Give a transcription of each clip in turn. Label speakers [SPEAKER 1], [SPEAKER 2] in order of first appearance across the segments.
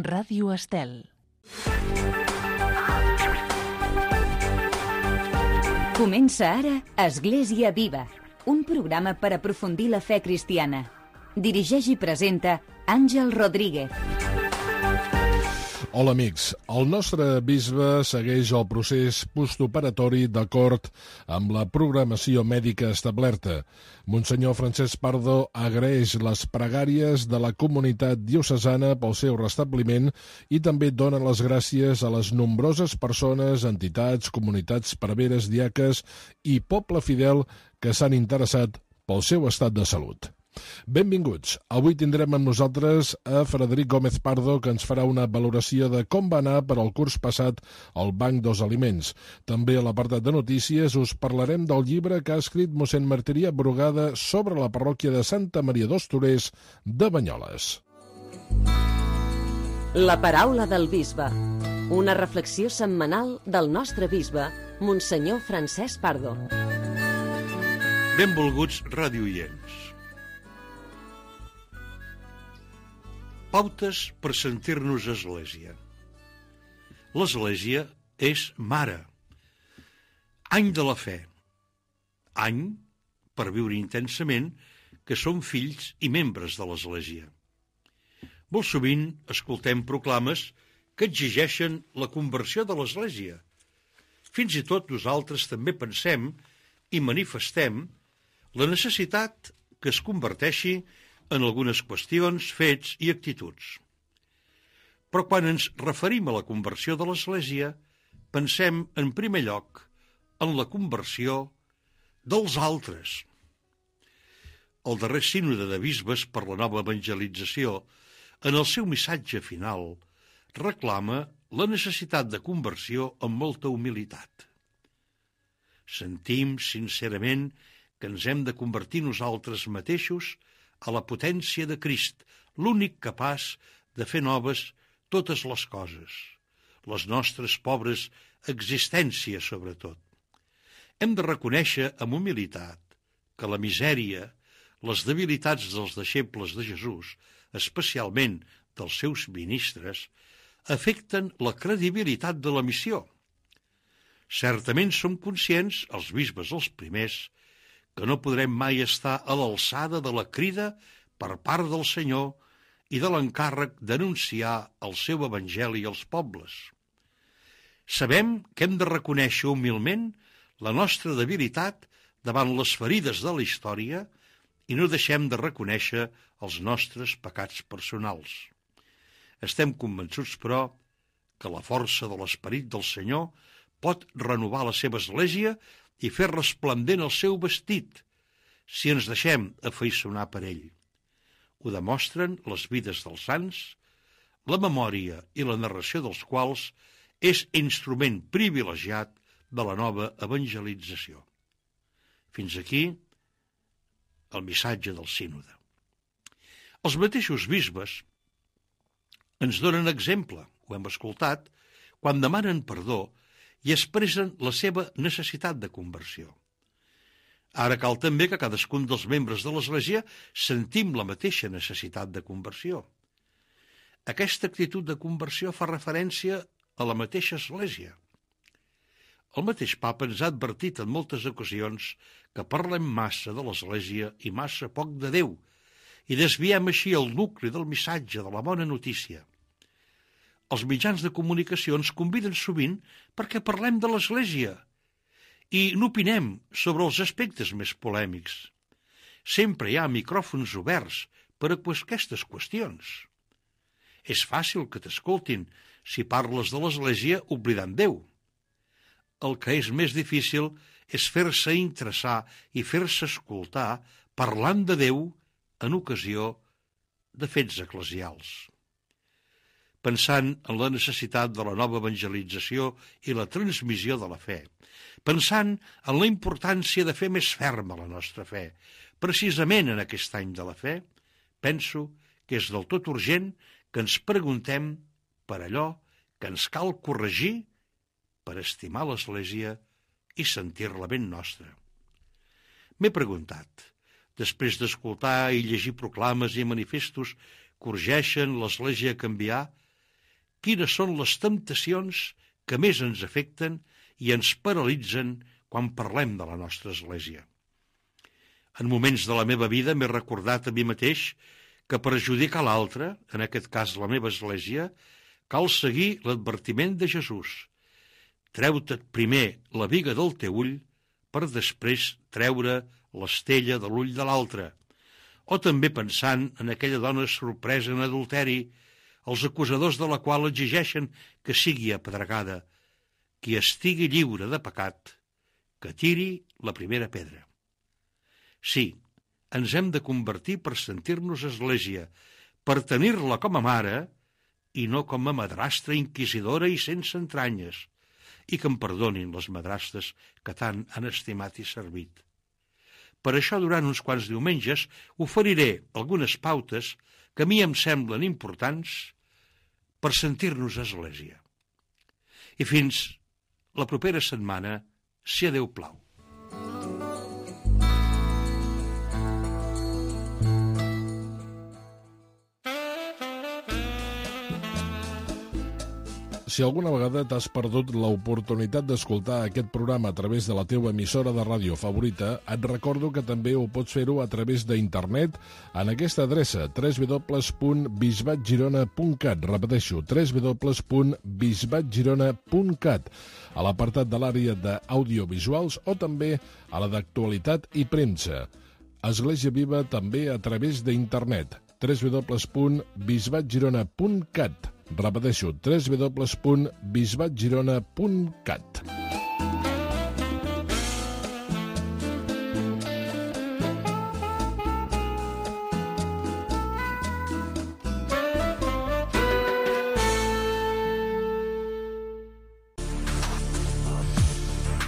[SPEAKER 1] Ràdio Estel.
[SPEAKER 2] Comença ara Església Viva, un programa per aprofundir la fe cristiana. Dirigeix i presenta Àngel Rodríguez.
[SPEAKER 3] Hola amics, el nostre bisbe segueix el procés postoperatori d'acord amb la programació mèdica establerta. Monsenyor Francesc Pardo agraeix les pregàries de la comunitat diocesana pel seu restabliment i també dona les gràcies a les nombroses persones, entitats, comunitats preveres, diaques i poble fidel que s'han interessat pel seu estat de salut. Benvinguts. Avui tindrem amb nosaltres a Frederic Gómez Pardo, que ens farà una valoració de com va anar per al curs passat al Banc dels Aliments. També a l'apartat de notícies us parlarem del llibre que ha escrit mossèn Martirià Brugada sobre la parròquia de Santa Maria dels Torers de Banyoles.
[SPEAKER 4] La paraula del bisbe. Una reflexió setmanal del nostre bisbe, Monsenyor Francesc Pardo.
[SPEAKER 5] Benvolguts radioients. Pautes per sentir-nos església. L'església és mare. Any de la fe. Any per viure intensament que som fills i membres de l'església. Molt sovint escoltem proclames que exigeixen la conversió de l'església. Fins i tot nosaltres també pensem i manifestem la necessitat que es converteixi en algunes qüestions, fets i actituds. Però quan ens referim a la conversió de l'Església, pensem en primer lloc en la conversió dels altres. El darrer sínode de bisbes per la nova evangelització, en el seu missatge final, reclama la necessitat de conversió amb molta humilitat. Sentim sincerament que ens hem de convertir nosaltres mateixos a la potència de Crist, l'únic capaç de fer noves totes les coses, les nostres pobres existències sobretot. Hem de reconèixer amb humilitat que la misèria, les debilitats dels deixebles de Jesús, especialment dels seus ministres, afecten la credibilitat de la missió. Certament som conscients, els bisbes els primers, que no podrem mai estar a l'alçada de la crida per part del Senyor i de l'encàrrec d'anunciar el seu evangeli als pobles. Sabem que hem de reconèixer humilment la nostra debilitat davant les ferides de la història i no deixem de reconèixer els nostres pecats personals. Estem convençuts, però, que la força de l'esperit del Senyor pot renovar la seva església i fer resplendent el seu vestit, si ens deixem afaiçonar per ell. Ho demostren les vides dels sants, la memòria i la narració dels quals és instrument privilegiat de la nova evangelització. Fins aquí el missatge del sínode. Els mateixos bisbes ens donen exemple, ho hem escoltat, quan demanen perdó i expressen la seva necessitat de conversió. Ara cal també que cadascun dels membres de l'Església sentim la mateixa necessitat de conversió. Aquesta actitud de conversió fa referència a la mateixa Església. El mateix papa ens ha advertit en moltes ocasions que parlem massa de l'Església i massa poc de Déu, i desviem així el nucli del missatge de la bona notícia. Els mitjans de comunicació ens conviden sovint perquè parlem de l'Església i n'opinem sobre els aspectes més polèmics. Sempre hi ha micròfons oberts per a aquestes qüestions. És fàcil que t'escoltin si parles de l'Església oblidant Déu. El que és més difícil és fer-se interessar i fer-se escoltar parlant de Déu en ocasió de fets eclesials. Pensant en la necessitat de la nova evangelització i la transmissió de la fe, pensant en la importància de fer més ferma la nostra fe, precisament en aquest any de la fe, penso que és del tot urgent que ens preguntem per allò que ens cal corregir per estimar l'Església i sentir-la ben nostra. M'he preguntat, després d'escoltar i llegir proclames i manifestos que urgeixen l'Església a canviar, quines són les temptacions que més ens afecten i ens paralitzen quan parlem de la nostra Església. En moments de la meva vida m'he recordat a mi mateix que per ajudar l'altre, en aquest cas la meva Església, cal seguir l'advertiment de Jesús. Treu-te primer la biga del teu ull per després treure l'estella de l'ull de l'altre. O també pensant en aquella dona sorpresa en adulteri, els acusadors de la qual exigeixen que sigui apedregada. Qui estigui lliure de pecat, que tiri la primera pedra. Sí, ens hem de convertir per sentir-nos Església, per tenir-la com a mare i no com a madrastra inquisidora i sense entranyes, i que em perdonin les madrastres que tant han estimat i servit. Per això, durant uns quants diumenges, oferiré algunes pautes que a mi em semblen importants per sentir-nos Església. I fins la propera setmana, si a Déu plau.
[SPEAKER 3] Si alguna vegada t'has perdut l'oportunitat d'escoltar aquest programa a través de la teva emissora de ràdio favorita, et recordo que també ho pots fer-ho a través d'internet en aquesta adreça www.bisbatgirona.cat. Repeteixo, www.bisbatgirona.cat, a l'apartat de l'àrea d'audiovisuals o també a la d'actualitat i premsa. Església Viva també a través d'internet, www.bisbatgirona.cat. Repeteixo, www.bisbatgirona.cat.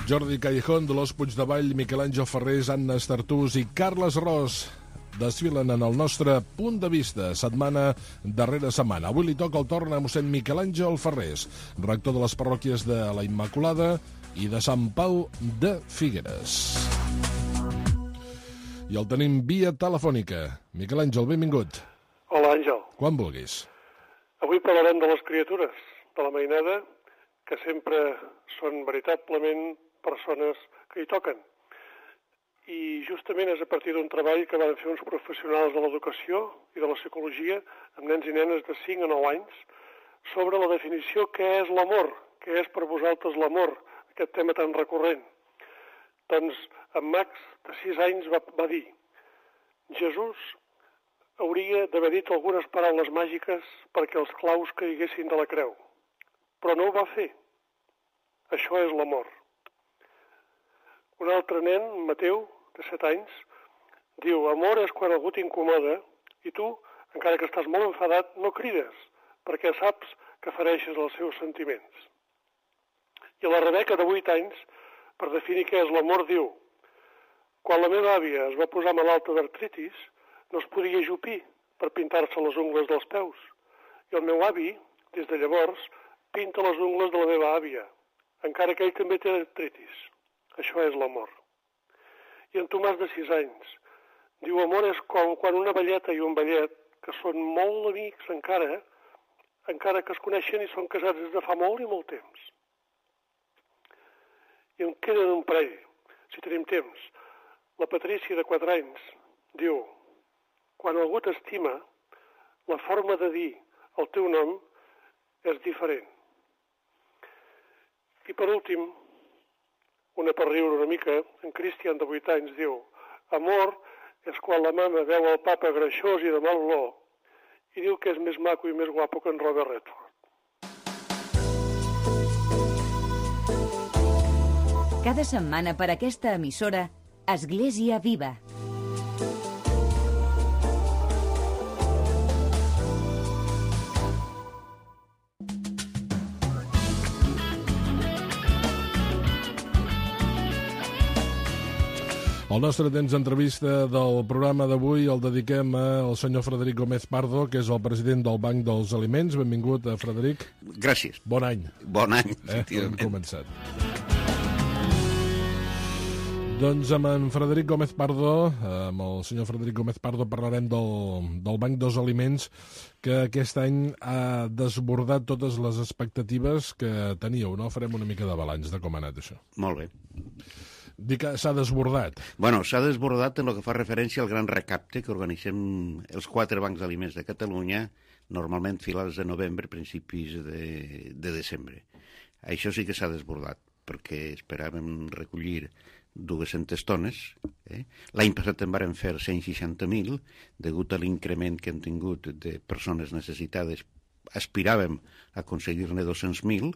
[SPEAKER 3] Jordi Callejón, Dolors Puigdevall, Miquel Àngel Ferrés, Anna Estartús i Carles Ros desfilen en el nostre punt de vista, setmana darrere setmana. Avui li toca el torn a mossèn Miquel Àngel Ferrés, rector de les parròquies de la Immaculada i de Sant Pau de Figueres. I el tenim via telefònica. Miquel Àngel, benvingut.
[SPEAKER 1] Hola, Àngel.
[SPEAKER 3] Quan vulguis.
[SPEAKER 1] Avui parlarem de les criatures, de la mainada, que sempre són veritablement persones que hi toquen. I justament és a partir d'un treball que van fer uns professionals de l'educació i de la psicologia amb nens i nenes de 5 a 9 anys sobre la definició què és l'amor, què és per vosaltres l'amor, aquest tema tan recurrent. Doncs en Max, de 6 anys, va dir: Jesús hauria d'haver dit algunes paraules màgiques perquè els claus caiguessin de la creu, però no ho va fer. Això és l'amor. Un altre nen, Mateu, de 7 anys, diu: amor és quan algú t'incomoda i tu, encara que estàs molt enfadat, no crides, perquè saps que fereixes els seus sentiments. I la Rebeca, de 8 anys, per definir què és l'amor, diu: quan la meva àvia es va posar malalta d'artritis, no es podia ajupir per pintar-se les ungles dels peus. I el meu avi, des de llavors, pinta les ungles de la meva àvia, encara que ell també té artritis. Això és l'amor. I en Tomàs, de 6 anys, diu: amor és com quan una velleta i un vellet, que són molt amics encara que es coneixen i són casats des de fa molt i molt temps. I en queden un parell, si tenim temps. La Patrícia, de 4 anys, diu: quan algú t'estima, la forma de dir el teu nom és diferent. I per últim, una per riure una mica, en Cristian, de 8 anys, diu: amor és quan la mama veu el papa greixós i de mal olor i diu que és més maco i més guapo que en Robert Redford.
[SPEAKER 2] Cada setmana per aquesta emissora, Església Viva.
[SPEAKER 3] El nostre temps d'entrevista del programa d'avui el dediquem al senyor Frederic Gómez Pardo, que és el president del Banc dels Aliments. Benvingut, Frederic.
[SPEAKER 6] Gràcies.
[SPEAKER 3] Bon any.
[SPEAKER 6] Bon any, efectivament.
[SPEAKER 3] Hem començat. Doncs amb en Frederic Gómez Pardo, amb el senyor Frederic Gómez Pardo, parlarem del Banc dels Aliments, que aquest any ha desbordat totes les expectatives que teníeu, no? Farem una mica de balanç de com ha anat això.
[SPEAKER 6] Molt bé.
[SPEAKER 3] Dic que s'ha desbordat.
[SPEAKER 6] Bueno, s'ha desbordat en el que fa referència al gran recapte que organitzem els 4 bancs d'aliments de Catalunya, normalment finals de novembre, principis de desembre. Això sí que s'ha desbordat, perquè esperàvem recollir 200 tones. L'any passat en vàrem fer 160.000, degut a l'increment que hem tingut de persones necessitades, aspiràvem a aconseguir-ne 200.000,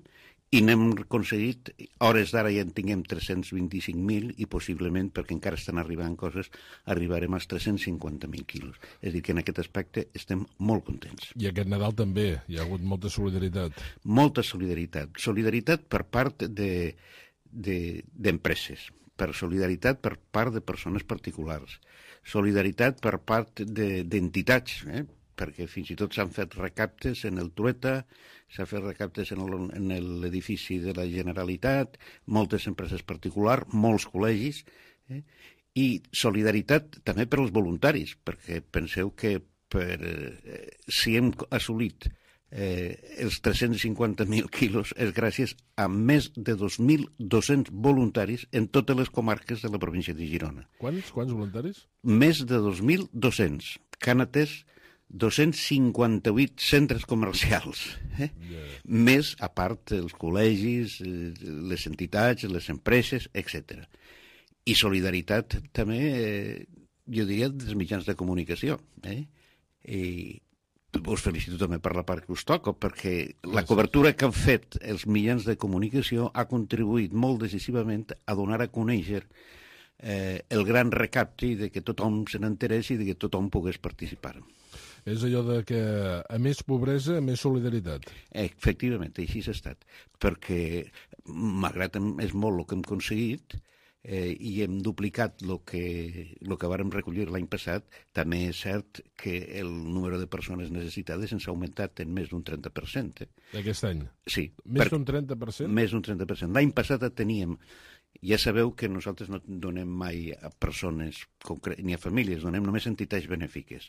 [SPEAKER 6] i n'hem aconseguit, hores d'ara ja en tinguem 325.000 i possiblement, perquè encara estan arribant coses, arribarem als 350.000 quilos. És a dir, que en aquest aspecte estem molt contents.
[SPEAKER 3] I aquest Nadal també hi ha hagut molta solidaritat.
[SPEAKER 6] Molta solidaritat. Solidaritat per part d'empreses, per solidaritat per part de persones particulars, solidaritat per part d'entitats, perquè fins i tot s'han fet recaptes en el Trueta, s'han fet recaptes en l'edifici de la Generalitat, moltes empreses particulars, molts col·legis, i solidaritat també per als voluntaris, perquè penseu que si hem assolit els 350.000 quilos és gràcies a més de 2.200 voluntaris en totes les comarques de la província de Girona.
[SPEAKER 3] Quants voluntaris?
[SPEAKER 6] Més de 2.200, que han atès 258 centres comercials, més, a part, els col·legis, les entitats, les empreses, etc. I solidaritat també, jo diria, dels mitjans de comunicació. I us felicito també per la part que us toca, perquè la cobertura que han fet els mitjans de comunicació ha contribuït molt decisivament a donar a conèixer el gran recapte i de que tothom se n'enterés i de que tothom pogués participar.
[SPEAKER 3] És allò de que a més pobresa, a més solidaritat.
[SPEAKER 6] Efectivament, així s'ha estat. Perquè, malgrat és molt el que hem aconseguit, i hem duplicat el que vàrem recollir l'any passat, també és cert que el número de persones necessitades ens ha augmentat en més d'un 30%.
[SPEAKER 3] Aquest any?
[SPEAKER 6] Sí.
[SPEAKER 3] Més d'un 30%?
[SPEAKER 6] Més d'un 30%. L'any passat teníem... Ja sabeu que nosaltres no donem mai a persones ni a famílies, donem només entitats benèfiques.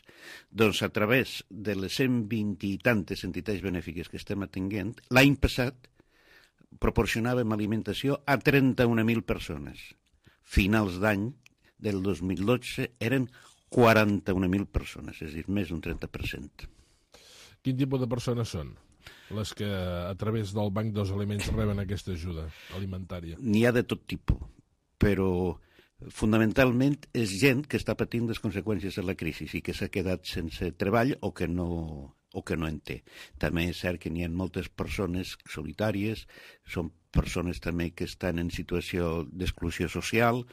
[SPEAKER 6] Doncs a través de les 120 i tantes entitats benèfiques que estem atenguent, l'any passat proporcionàvem alimentació a 31.000 persones. Finals d'any del 2012 eren 41.000 persones, és a dir, més d'un 30%.
[SPEAKER 3] Quin tipus de persones són les que a través del Banc dels Aliments reben aquesta ajuda alimentària?
[SPEAKER 6] N'hi ha de tot tipus, però fonamentalment és gent que està patint les conseqüències de la crisi i que s'ha quedat sense treball o que no en té. També és cert que n'hi ha moltes persones solitàries, són persones també que estan en situació d'exclusió social,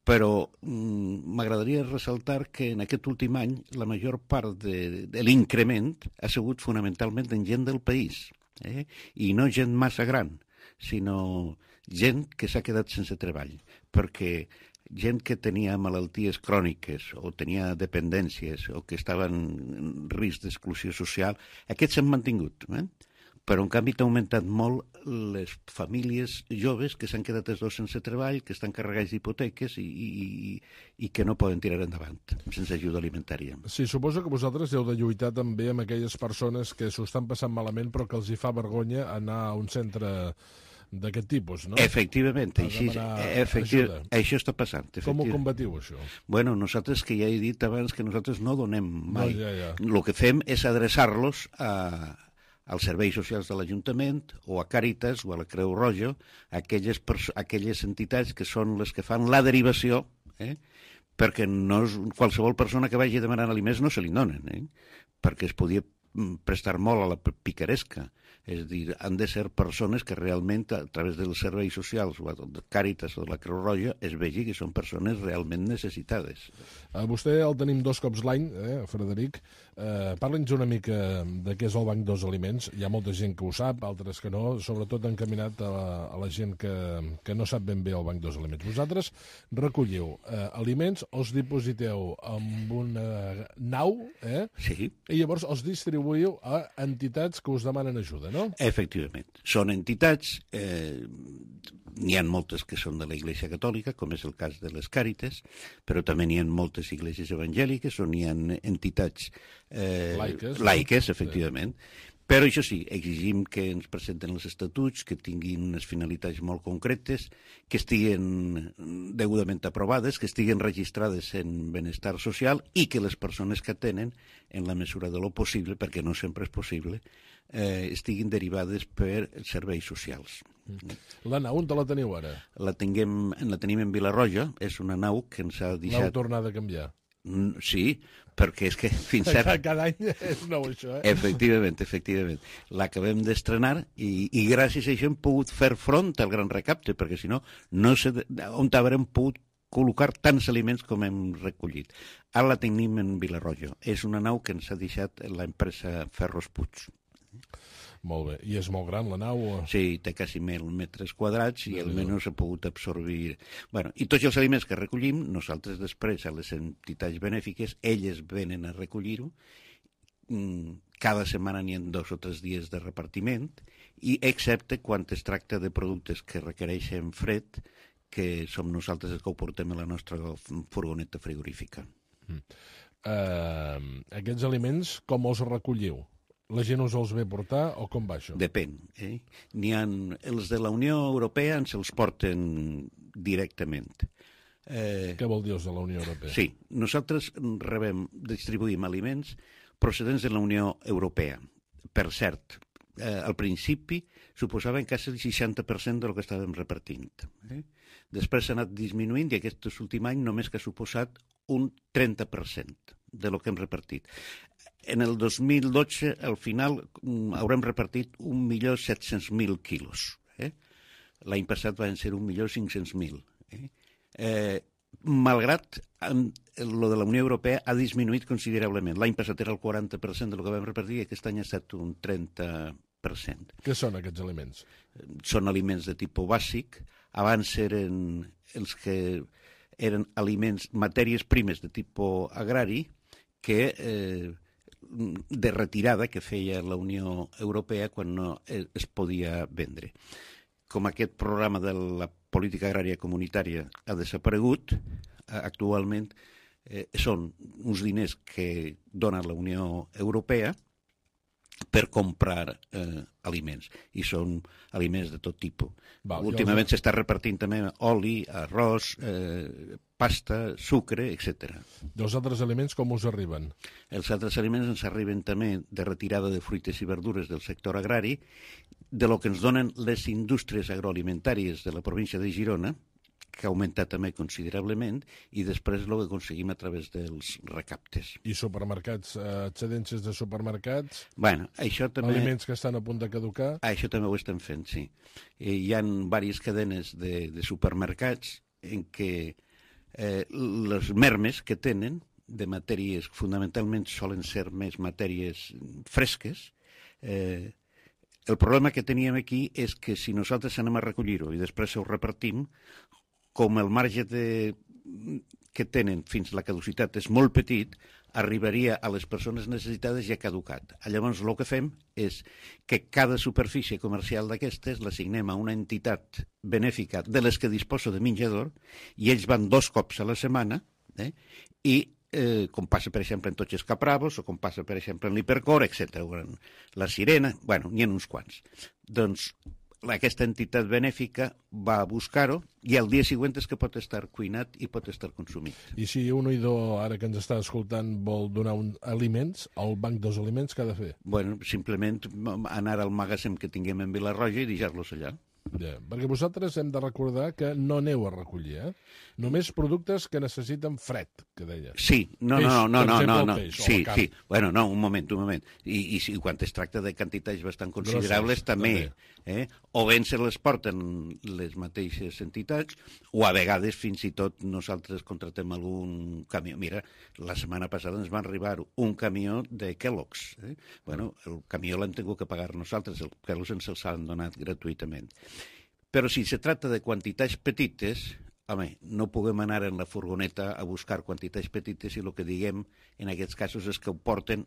[SPEAKER 6] però m'agradaria ressaltar que en aquest últim any la major part de l'increment ha sigut fonamentalment en gent del país, i no gent massa gran, sinó gent que s'ha quedat sense treball, perquè gent que tenia malalties cròniques o tenia dependències o que estaven en risc d'exclusió social, aquests s'han mantingut, però en canvi t'ha augmentat molt les famílies joves que s'han quedat els dos sense treball, que estan carregats d'hipoteques i que no poden tirar endavant sense ajuda alimentària.
[SPEAKER 3] Sí, suposo que vosaltres heu de lluitar també amb aquelles persones que s'ho estan passant malament però que els hi fa vergonya anar a un centre d'aquest tipus, no?
[SPEAKER 6] Efectivament, això està passant.
[SPEAKER 3] Com ho combatiu, això?
[SPEAKER 6] Bueno, nosaltres, que ja he dit abans que nosaltres no donem mai.
[SPEAKER 3] Ja.
[SPEAKER 6] El que fem és adreçar-los als serveis socials de l'Ajuntament o a Càritas o a la Creu Roja, aquelles entitats que són les que fan la derivació, perquè no és qualsevol persona que vagi demanant aliments no se li donen, perquè es podia prestar molt a la picaresca. És a dir, han de ser persones que realment, a través dels serveis socials o de Càritas o de la Creu Roja, es vegi que són persones realment necessitades.
[SPEAKER 3] Vostè el tenim 2 cops l'any, Frederic. Parla'ns una mica de què és el Banc dels Aliments. Hi ha molta gent que ho sap, altres que no, sobretot encaminat a la gent que no sap ben bé el Banc dels Aliments. Vosaltres recolliu aliments, els dipositeu en una nau,
[SPEAKER 6] Sí.
[SPEAKER 3] I llavors els distribuïu a entitats que us demanen ajuda, no?
[SPEAKER 6] Efectivament. Són entitats N'hi ha moltes que són de la Iglesia Catòlica, com és el cas de les Càritas, però també n'hi ha moltes iglesis evangèliques on hi ha entitats laiques, efectivament. Però això sí, exigim que ens presenten els estatuts, que tinguin unes finalitats molt concretes, que estiguen degudament aprovades, que estiguen registrades en benestar social i que les persones que tenen, en la mesura de lo possible, perquè no sempre és possible, estiguin derivades per serveis socials.
[SPEAKER 3] La nau, on te la teniu ara?
[SPEAKER 6] La tenim en Vilarroja, és una nau que ens ha deixat...
[SPEAKER 3] L'heu tornat a canviar?
[SPEAKER 6] Sí, perquè és que fins ara...
[SPEAKER 3] Cada any és nou, això,
[SPEAKER 6] Efectivament. L'acabem d'estrenar i gràcies a això hem pogut fer front al gran recapte, perquè si no, no sé on haurem pogut col·locar tants aliments com hem recollit. Ara la tenim en Vilarroja. És una nau que ens ha deixat l'empresa Ferros Puig.
[SPEAKER 3] Molt bé. I és molt gran, la nau?
[SPEAKER 6] Sí, té quasi 1.000 metres quadrats i almenys ha pogut absorbir... Bueno, i tots els aliments que recollim, nosaltres després, a les entitats benèfiques, elles venen a recollir-ho. Cada setmana n'hi ha 2 o 3 dies de repartiment, i excepte quan es tracta de productes que requereixen fred, que som nosaltres els que ho portem a la nostra furgoneta frigorífica.
[SPEAKER 3] Aquests aliments, com els recolliu? La gent us els ve portar o com va això?
[SPEAKER 6] Depèn. N'hi ha els de la Unió Europea ens els porten directament.
[SPEAKER 3] Què vol dir els de la Unió Europea?
[SPEAKER 6] Sí, nosaltres distribuïm aliments procedents de la Unió Europea. Per cert, al principi suposaven quasi el 60% del que estàvem repartint. Després s'ha anat disminuint i aquest últim any només que ha suposat un 30% de lo que hem repartit. En el 2012, al final, haurem repartit 1.700.000 quilos. L'any passat van ser 1.500.000. Malgrat lo de la Unió Europea ha disminuït considerablement. L'any passat era el 40% del que vam repartir i aquest any ha estat un 30%.
[SPEAKER 3] Què són aquests aliments?
[SPEAKER 6] Són aliments de tipus bàsic. Abans eren els que eren aliments, matèries primes de tipus agrari, que de retirada que feia la Unió Europea quan no es podia vendre. Com aquest programa de la política agrària comunitària ha desaparegut, actualment són uns diners que dona la Unió Europea per comprar aliments, i són aliments de tot tipus. Últimament s'està repartint també oli, arròs, pasta, sucre, etc.
[SPEAKER 3] Els altres aliments com us arriben?
[SPEAKER 6] Els altres aliments ens arriben també de retirada de fruites i verdures del sector agrari, de lo que ens donen les indústries agroalimentàries de la província de Girona, que ha augmentat també considerablement, i després el que aconseguim a través dels recaptes.
[SPEAKER 3] I supermercats, excedències de supermercats?
[SPEAKER 6] Bueno, això també...
[SPEAKER 3] Aliments que estan a punt de caducar?
[SPEAKER 6] Això també ho estem fent, sí. Hi ha diverses cadenes de supermercats en què les mermes que tenen de matèries, fundamentalment solen ser més matèries fresques. El problema que teníem aquí és que si nosaltres anem a recollir-ho i després ho repartim, com el marge que tenen fins a la caducitat és molt petit, arribaria a les persones necessitades ja caducat. Llavors el que fem és que cada superfície comercial d'aquestes l'assignem a una entitat benèfica de les que disposa de menjador i ells van 2 cops a la setmana i com passa, per exemple, en tots els Capravos o com passa, per exemple, en l'Hipercor, etc. La Sirena, bueno, n'hi ha uns quants. Doncs aquesta entitat benèfica va a buscar-ho i el dia següent és que pot estar cuinat i pot estar consumit.
[SPEAKER 3] I si un oïdor, ara que ens està escoltant, vol donar aliments, al banc dels aliments, què ha de fer?
[SPEAKER 6] Bueno, simplement anar al magatzem que tinguem en Vilarroja i deixar-los allà.
[SPEAKER 3] Ja, perquè vosaltres hem de recordar que no aneu a recollir, Només productes que necessiten fred, que deia.
[SPEAKER 6] Sí, no.
[SPEAKER 3] Peix,
[SPEAKER 6] sí. Bueno, no, un moment. I quan es tracta de quantitats bastant considerables, també. O bé se les porten les mateixes entitats, o a vegades fins i tot nosaltres contratem algun camió. Mira, la setmana passada ens va arribar un camió de Kellogg's. Bueno, el camió l'hem tingut que pagar nosaltres, el Kellogg's ens els han donat gratuïtament. Però si se tracta de quantitats petites, home, no puguem anar en la furgoneta a buscar quantitats petites i el que diguem en aquests casos és que ho porten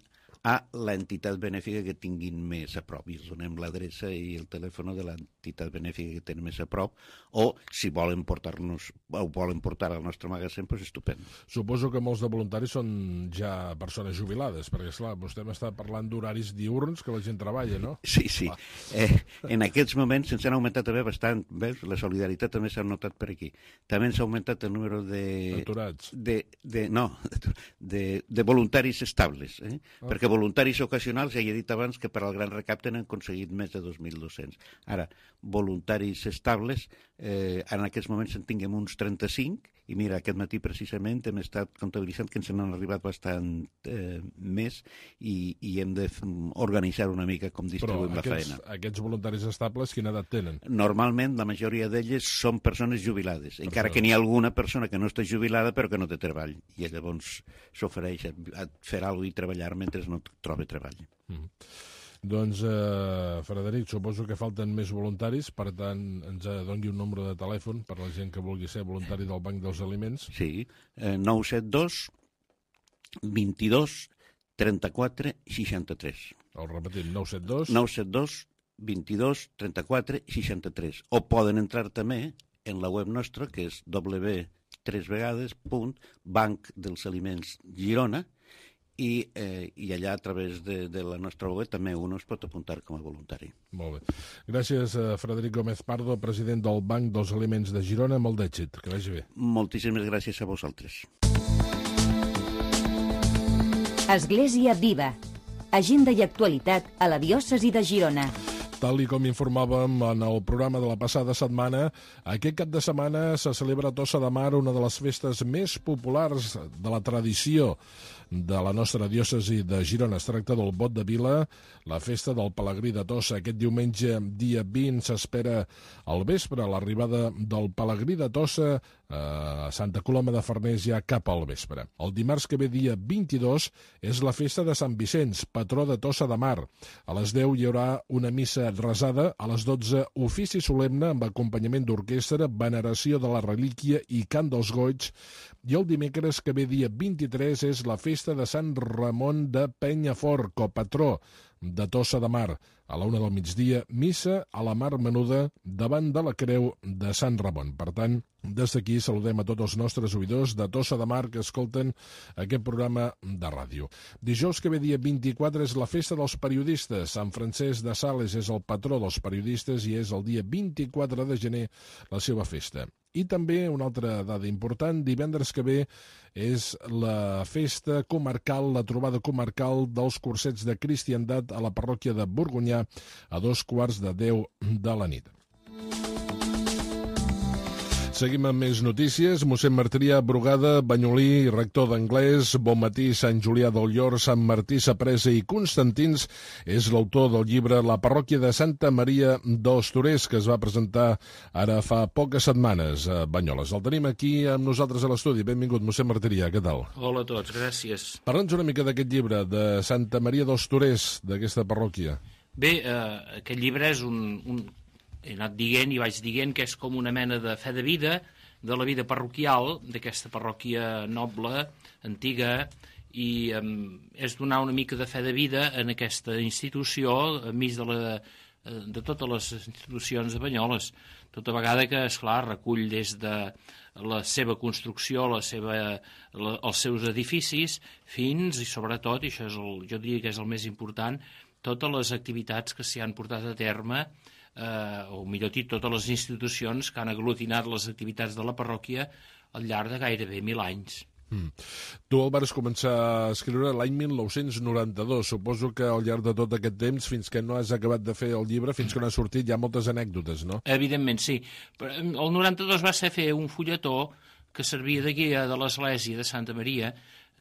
[SPEAKER 6] a l'entitat benèfica que tinguin més a prop. I els donem l'adreça i el telèfon de l'entitat benèfica que tenen més a prop, o si volen portar-nos o volen portar al nostre magatzem, doncs estupend.
[SPEAKER 3] Suposo que molts de voluntaris són ja persones jubilades, perquè, esclar, vostè m'està parlant d'horaris diürns que la gent treballa, no?
[SPEAKER 6] Sí. En aquests moments se'ns han augmentat també bastant, veus? La solidaritat també s'ha notat per aquí. També s'ha augmentat el número de...
[SPEAKER 3] Aturats.
[SPEAKER 6] De voluntaris estables, perquè voluntaris ocasionals, ja he dit abans que per al Gran Recapte n'han aconseguit més de 2.200. Ara, voluntaris estables, en aquests moments en tinguem uns 35, i mira, aquest matí precisament hem estat comptabilitzant que ens n'han arribat bastant més i hem d'organitzar una mica com distribuïm la feina.
[SPEAKER 3] Però aquests voluntaris estables, quina edat tenen?
[SPEAKER 6] Normalment, la majoria d'elles són persones jubilades, encara que n'hi ha alguna persona que no està jubilada però que no té treball, i llavors s'ofereix a fer alguna cosa i treballar mentre no troba treball.
[SPEAKER 3] Doncs, Frederic, suposo que falten més voluntaris, per tant, ens doni un número de telèfon per la gent que vulgui ser voluntari del Banc dels Aliments.
[SPEAKER 6] Sí, 972 22 34 63.
[SPEAKER 3] El repetim, 972...
[SPEAKER 6] 972 22 34 63. O poden entrar també en la web nostra, que és www.bancdelsaliments.girona, i allà, a través de la nostra web, també un es pot apuntar com a voluntari.
[SPEAKER 3] Molt bé. Gràcies, Frederic Gómez Pardo, president del Banc dels Aliments de Girona. Molt d'èxit. Que vagi bé.
[SPEAKER 6] Moltíssimes gràcies a vosaltres.
[SPEAKER 2] Església Viva. Agenda i actualitat a la diòcesi de Girona.
[SPEAKER 3] Tal i com informàvem en el programa de la passada setmana, aquest cap de setmana se celebra a Tossa de Mar, una de les festes més populars de la tradició de la nostra diòcesi de Girona. Es tracta del Bot de Vila, la festa del Pelegrí de Tossa. Aquest diumenge, dia 20, s'espera al vespre l'arribada del Pelegrí de Tossa a Santa Coloma de Farners ja cap al vespre. El dimarts que ve, dia 22, és la festa de Sant Vicenç, patró de Tossa de Mar. A les 10 hi haurà una missa resada, a les 12 ofici solemne amb acompanyament d'orquestra, veneració de la relíquia i cant dels goigs, i el dimecres que ve, dia 23, és la festa de Sant Ramon de Penyafort, copatró de Tossa de Mar. A la 1 del migdia, missa a la Mar Menuda davant de la creu de Sant Ramon. Per tant, des d'aquí saludem a tots els nostres oïdors de Tossa de Mar que escolten aquest programa de ràdio. Dijous que ve, dia 24, és la festa dels periodistes. Sant Francesc de Sales és el patró dels periodistes i és el dia 24 de gener la seva festa. I també una altra dada important, divendres que ve és la festa comarcal, la trobada comarcal dels cursets de cristiandat a la parròquia de Borgonyà a 2:15 de la nit. Seguim amb més notícies. Mossèn Martirià Brugada, banyolí, rector d'anglès, Bonmatí, Sant Julià del Llor, Sant Martí Sapresa i Constantins, és l'autor del llibre La parròquia de Santa Maria dels Torers, que es va presentar ara fa poques setmanes a Banyoles. El tenim aquí amb nosaltres a l'estudi. Benvingut, mossèn Martirià, què tal?
[SPEAKER 7] Hola a tots, gràcies.
[SPEAKER 3] Parla'ns una mica d'aquest llibre, de Santa Maria dels Torers, d'aquesta parròquia.
[SPEAKER 7] Bé, aquest llibre és he anat dient i vaig dient que és com una mena de fe de vida, de la vida parroquial, d'aquesta parròquia noble, antiga, i és donar una mica de fe de vida en aquesta institució, enmig de totes les institucions de Banyoles. Tota vegada que, esclar, recull des de la seva construcció, els seus edificis, fins, i sobretot, i això és jo diria que és el més important, totes les activitats que s'hi han portat a terme, o millor dit, totes les institucions que han aglutinat les activitats de la parròquia al llarg de gairebé 1000 anys.
[SPEAKER 3] Tu el vas començar a escriure l'any 1992. Suposo que al llarg de tot aquest temps, fins que no has acabat de fer el llibre, fins que no ha sortit, hi ha moltes anècdotes, no?
[SPEAKER 7] Evidentment, sí. El 92 va ser fer un fulletó que servia de guia de l'església de Santa Maria,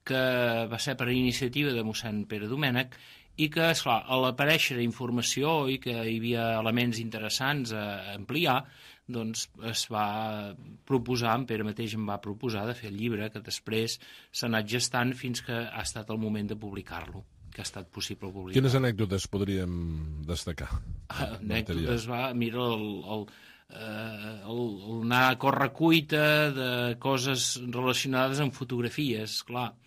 [SPEAKER 7] que va ser per iniciativa de mossèn Pere Domènech, i que, esclar, a l'aparèixer informació i que hi havia elements interessants a ampliar, doncs es va proposar, en Pere mateix em va proposar de fer el llibre, que després s'ha anat gestant fins que ha estat el moment de publicar-lo, que ha estat possible publicar.
[SPEAKER 3] Quines anècdotes podríem destacar?
[SPEAKER 7] Anècdotes, mira, el anar a correcuita de coses relacionades amb fotografies, clar.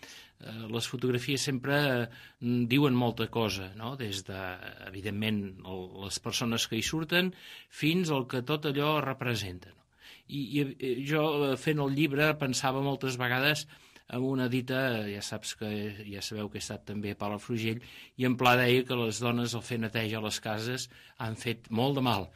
[SPEAKER 7] les fotografies sempre diuen molta cosa, no? Des de, evidentment, les persones que hi surten fins al que tot allò representa. No? I jo, fent el llibre, pensava moltes vegades en una dita, ja sabeu que he estat també a Palafrugell, i en Pla deia que les dones al fer neteja a les cases han fet molt de mal,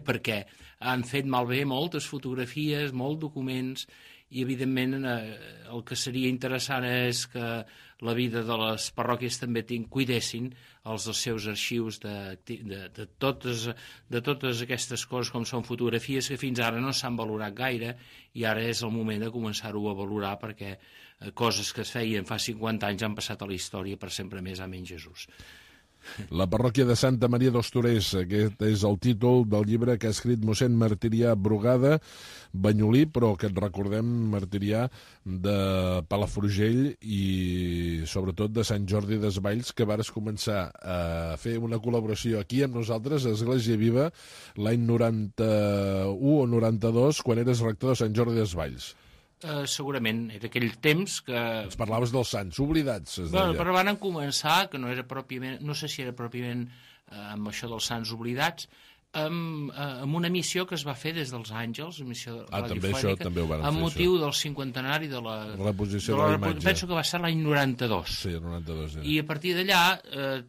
[SPEAKER 7] perquè han fet malbé moltes fotografies, molts documents, i evidentment el que seria interessant és que la vida de les parròquies també cuidessin els seus arxius de totes aquestes coses com són fotografies que fins ara no s'han valorat gaire, i ara és el moment de començar-ho a valorar, perquè coses que es feien fa 50 anys han passat a la història per sempre més a menys Jesús.
[SPEAKER 3] La parròquia de Santa Maria dels Torers, aquest és el títol del llibre que ha escrit mossèn Martirià Brugada, banyolí, però que et recordem, Martirià, de Palafrugell i sobretot de Sant Jordi Desvalls, que vares començar a fer una col·laboració aquí amb nosaltres, a Església Viva, l'any 91 o 92, quan eres rector de Sant Jordi Desvalls.
[SPEAKER 7] Segurament, era aquell temps que...
[SPEAKER 3] Ens parlaves dels sants oblidats, es deia.
[SPEAKER 7] Però van començar, que no era pròpiament, no sé si era pròpiament amb això dels sants oblidats, amb una missió que es va fer des dels Àngels, missió radiofònica, amb motiu del cinquantenari de la
[SPEAKER 3] reposició de la imatge.
[SPEAKER 7] Penso que va ser l'any 92.
[SPEAKER 3] Sí, el 92.
[SPEAKER 7] I a partir d'allà,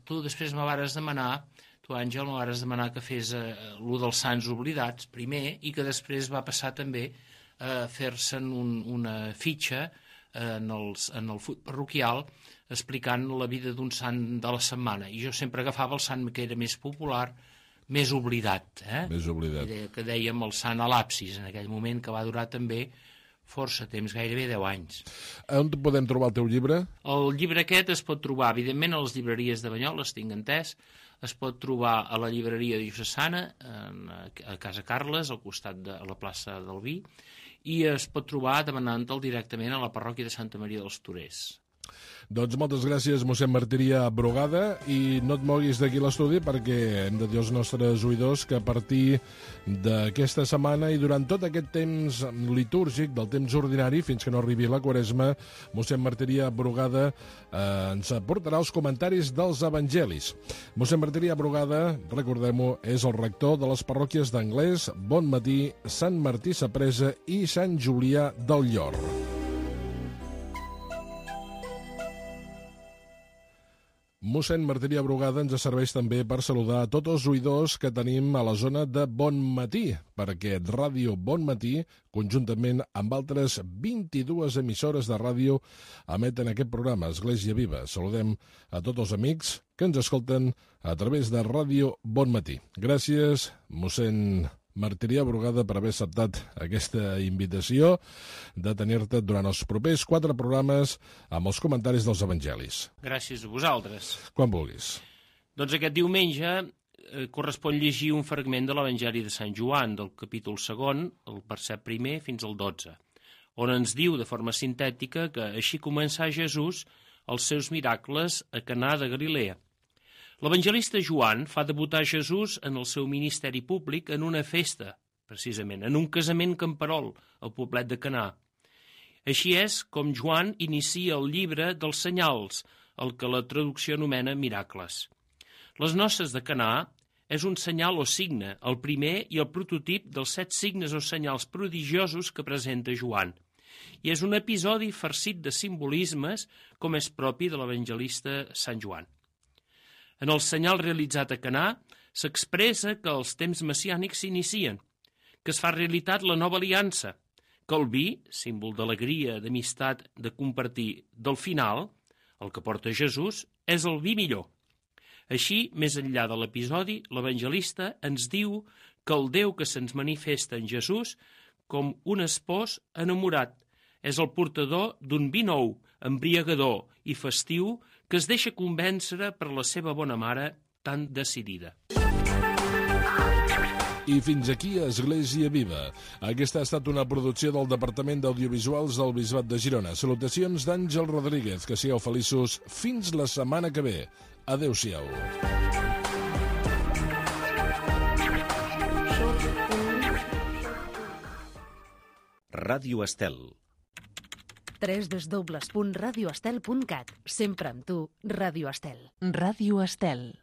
[SPEAKER 7] tu després me vares demanar, tu, Àngel, me vares demanar que fes l'u dels sants oblidats, primer, i que després va passar també a fer-se'n una fitxa en el full parroquial explicant la vida d'un sant de la setmana. I jo sempre agafava el sant que era més popular, més oblidat.
[SPEAKER 3] Més oblidat.
[SPEAKER 7] Que dèiem el sant a l'absis, en aquell moment, que va durar també força temps, gairebé 10 anys.
[SPEAKER 3] On podem trobar el teu llibre?
[SPEAKER 7] El llibre aquest es pot trobar, evidentment, a les llibreries de Banyoles, tinc entès. Es pot trobar a la llibreria diocesana, a Casa Carles, al costat de la plaça del Vi, i es pot trobar demanant-te'l directament a la parròquia de Santa Maria dels Torers.
[SPEAKER 3] Doncs moltes gràcies, mossèn Martirià Brugada, i no et moguis d'aquí l'estudi perquè hem de dir als nostres oïdors que a partir d'aquesta setmana i durant tot aquest temps litúrgic, del temps ordinari, fins que no arribi la Quaresma, mossèn Martirià Brugada ens aportarà els comentaris dels evangelis. Mossèn Martirià Brugada, recordem-ho, és el rector de les parròquies d'Anglès, Bonmatí, Sant Martí Sapresa i Sant Julià del Llor. Mossèn Martirià Brugada ens serveix també per saludar a tots els oïdors que tenim a la zona de Bonmatí, perquè Ràdio Bonmatí, conjuntament amb altres 22 emissores de ràdio, emeten aquest programa, Església Viva. Saludem a tots els amics que ens escolten a través de Ràdio Bonmatí. Gràcies, mossèn Martirià Brugada, per haver acceptat aquesta invitació de tenir-te durant els propers 4 programes amb els comentaris dels evangelis.
[SPEAKER 7] Gràcies a vosaltres.
[SPEAKER 3] Quan vulguis.
[SPEAKER 7] Doncs aquest diumenge correspon llegir un fragment de l'Evangeli de Sant Joan, del capítol 2, el verset 1 fins al 12, on ens diu de forma sintètica que així començà Jesús els seus miracles a Canà de Galilea. L'evangelista Joan fa debutar Jesús en el seu ministeri públic en una festa, precisament, en un casament camperol al poblet de Canà. Així és com Joan inicia el llibre dels senyals, el que la traducció anomena miracles. Les noces de Canà és un senyal o signe, el primer i el prototip dels 7 signes o senyals prodigiosos que presenta Joan. I és un episodi farcit de simbolismes com és propi de l'evangelista Sant Joan. En el senyal realitzat a Canà s'expressa que els temps messiànics s'inicien, que es fa realitat la nova aliança, que el vi, símbol d'alegria, d'amistat, de compartir, del final, el que porta Jesús, és el vi millor. Així, més enllà de l'episodi, l'evangelista ens diu que el Déu que se'ns manifesta en Jesús com un espòs enamorat és el portador d'un vi nou, embriagador i festiu que es deixa convèncer per la seva bona mare tan decidida.
[SPEAKER 3] I fins aquí Església Viva. Aquesta ha estat una producció del Departament d'Audiovisuals del Bisbat de Girona. Salutacions d'Àngel Rodríguez. Que sigueu feliços fins la setmana que ve. Adéu-siau.
[SPEAKER 8] Ràdio Estel. www.radioestel.cat. Sempre amb tu, Ràdio Estel.
[SPEAKER 9] Ràdio Estel.